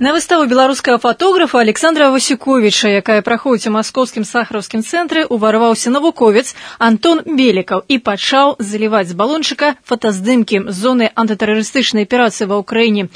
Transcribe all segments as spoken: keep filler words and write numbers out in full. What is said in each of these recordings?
На выставу беларускага фотографа Александра Васюковіча, якая праходзіць у маскоўскім сахараўскім цэнтры, уварваўся навуковец Антон Белікаў і пачаў заліваць з балончыка фотаздымкі з зоны антытэрарыстычнай аперацыі ва ўкраіне.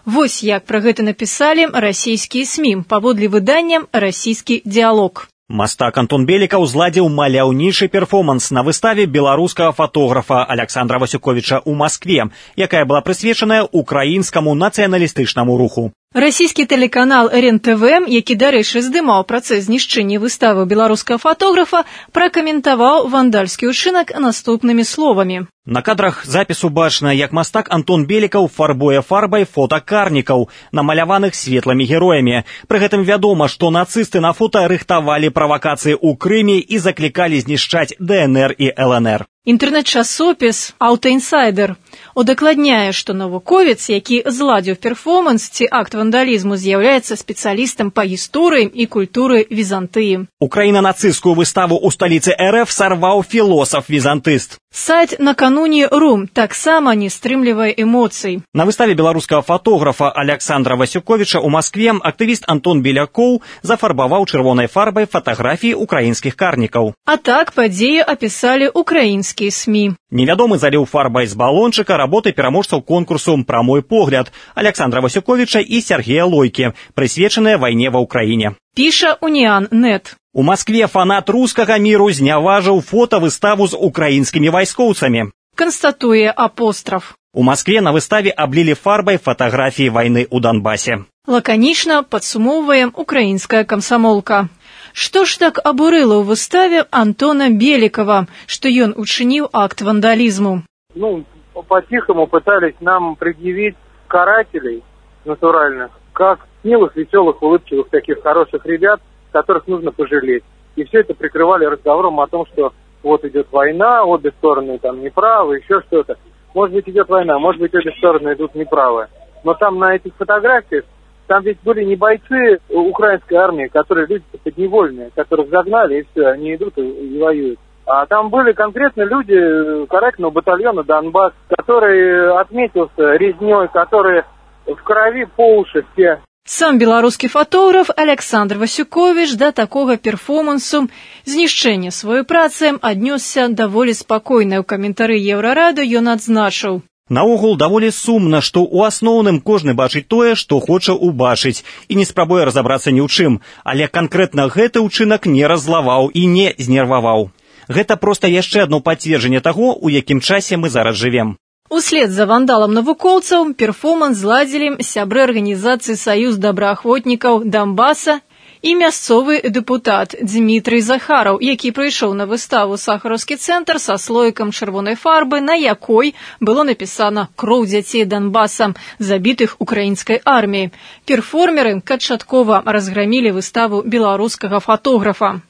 Вось як пра гэта напісалі расійскія СМІ, паводле выдання «Расійскі дыялог». Мастак Антон Белікаў зладзіў маляўнічы перформанс на выставе беларускага фотографа Александра Васюковіча ў Маскве, якая была прысвечаная украінскаму нацыяналістычнаму руху. Расійскі тэлеканал эр эн тэ вэ, які, дарэчы, здымаў працэс знішчэння выставы беларускага фотографа, пракаментаваў вандальскі ўчынак наступнымі словамі. На кадрах запісу бачна, як мастак Антон Белікаў фарбуе фарбай фотакарнікаў, намаляваных светлымі героямі. Пры гэтым вядома, што нацысты на фота рыхтавалі правакацыі ў Крыме і заклікалі знішчаць дэ эн эр і эл эн эр. Інтэрнэт-часопіс «Аўтаінсайдер» удакладняе, што навуковец, які зладзіў перформанс ці акт вандалізму, з'яўляецца спецыялістам па гісторыі і культуры Візантыі. Украіна нацысцкую выставу ў сталіцы эр эф сарваў філосаф-візантыст. Сайт «Накануне Рум» таксама не стрымлівае эмоцый. На выставе беларускага фотографа Александра Васюковіча ў Маскве актывіст Антон Белякоў зафарбаваў чырвонай фарбай фатаграфіі украінскіх карнікаў. А так падзею апісалі украінскія СМІ. Невядомы заліў фарбай з балончыка работы пераможцаў конкурсу «Прамой погляд» Александра Васюковіча і Сергея Лойкі, прысвечаныя вайне ва ўкраіне. Піша Уніан точка нет. У Маскве фанат рускага міру зняважыў фотавыставу з украінскімі вайскоўцамі. Канстатуе апостраф. У Маскве на выставе аблілі фарбай фатаграфіі вайны ў Донбасе. Лаканічна падсумоўвае украінская камсамолка. Што ж так абурыла ў выставе Антона Белікава, што ён учыніў акт вандалізму? Ну, по-тихому пытались нам предъявить карателей натуральных, как милых, веселых, улыбчивых таких хороших ребят, которых нужно пожалеть. И все это прикрывали разговором о том, что вот идет война, обе стороны там неправы, еще что-то. Может быть, идет война, может быть, обе стороны идут неправы. Но там на этих фотографиях, там ведь были не бойцы украинской армии, которые люди подневольные, которых загнали, и все, они идут и, и воюют. А там были конкретно люди карательного батальона «Донбасс», который отметился резней, которые в крови по уши все. Сам беларускі фотограф Александр Васюковіч да такога перформансу знішчэння сваёй працы аднёсся даволі спакойна. У каментары Еўрарады ён адзначыў: наогул даволі сумна, што ў асноўным кожны бачыць тое, што хоча ўбачыць, і не спрабуе разабрацца ні ў чым, але канкрэтна гэты ўчынак не раззлаваў і не знерваваў. Гэта проста яшчэ адно пацверджанне таго, у якім часе мы зараз жывем. Услед за вандалам навукоўцаў перформанс зладзілі сябры арганізацыі «Саюз добраахвотнікаў Донбаса» і мясцовы дэпутат Дмітрый Захараў, які прыйшоў на выставу «Сахараўскі цэнтр» са слоікам чырвонай фарбы, на якой было напісана «Кроў дзяцей Донбаса, забітых украінскай арміяй». Перформеры канчаткова разграмілі выставу беларускага фотографа.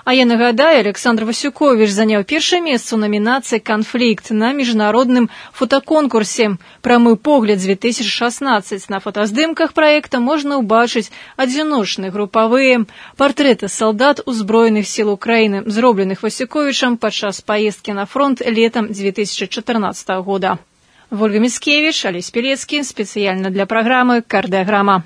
А я нагадаю, Александр Васюковіч заняў першае месца ў намінацыі «Канфлікт» на міжнародным фотаконкурсе «Прамы погляд» дзве тысячы шаснаццаць. На фотаздымках праекта можна ўбачыць адзіночныя групавыя партрэты салдат узброеных сіл Украіны, зробленых Васюковічам падчас паездкі на фронт летам дзве тысячы чатырнаццатага года. Вольга Міцкевіч, Алесь Пелецкі, спецыяльна для праграмы «Кардыяграма».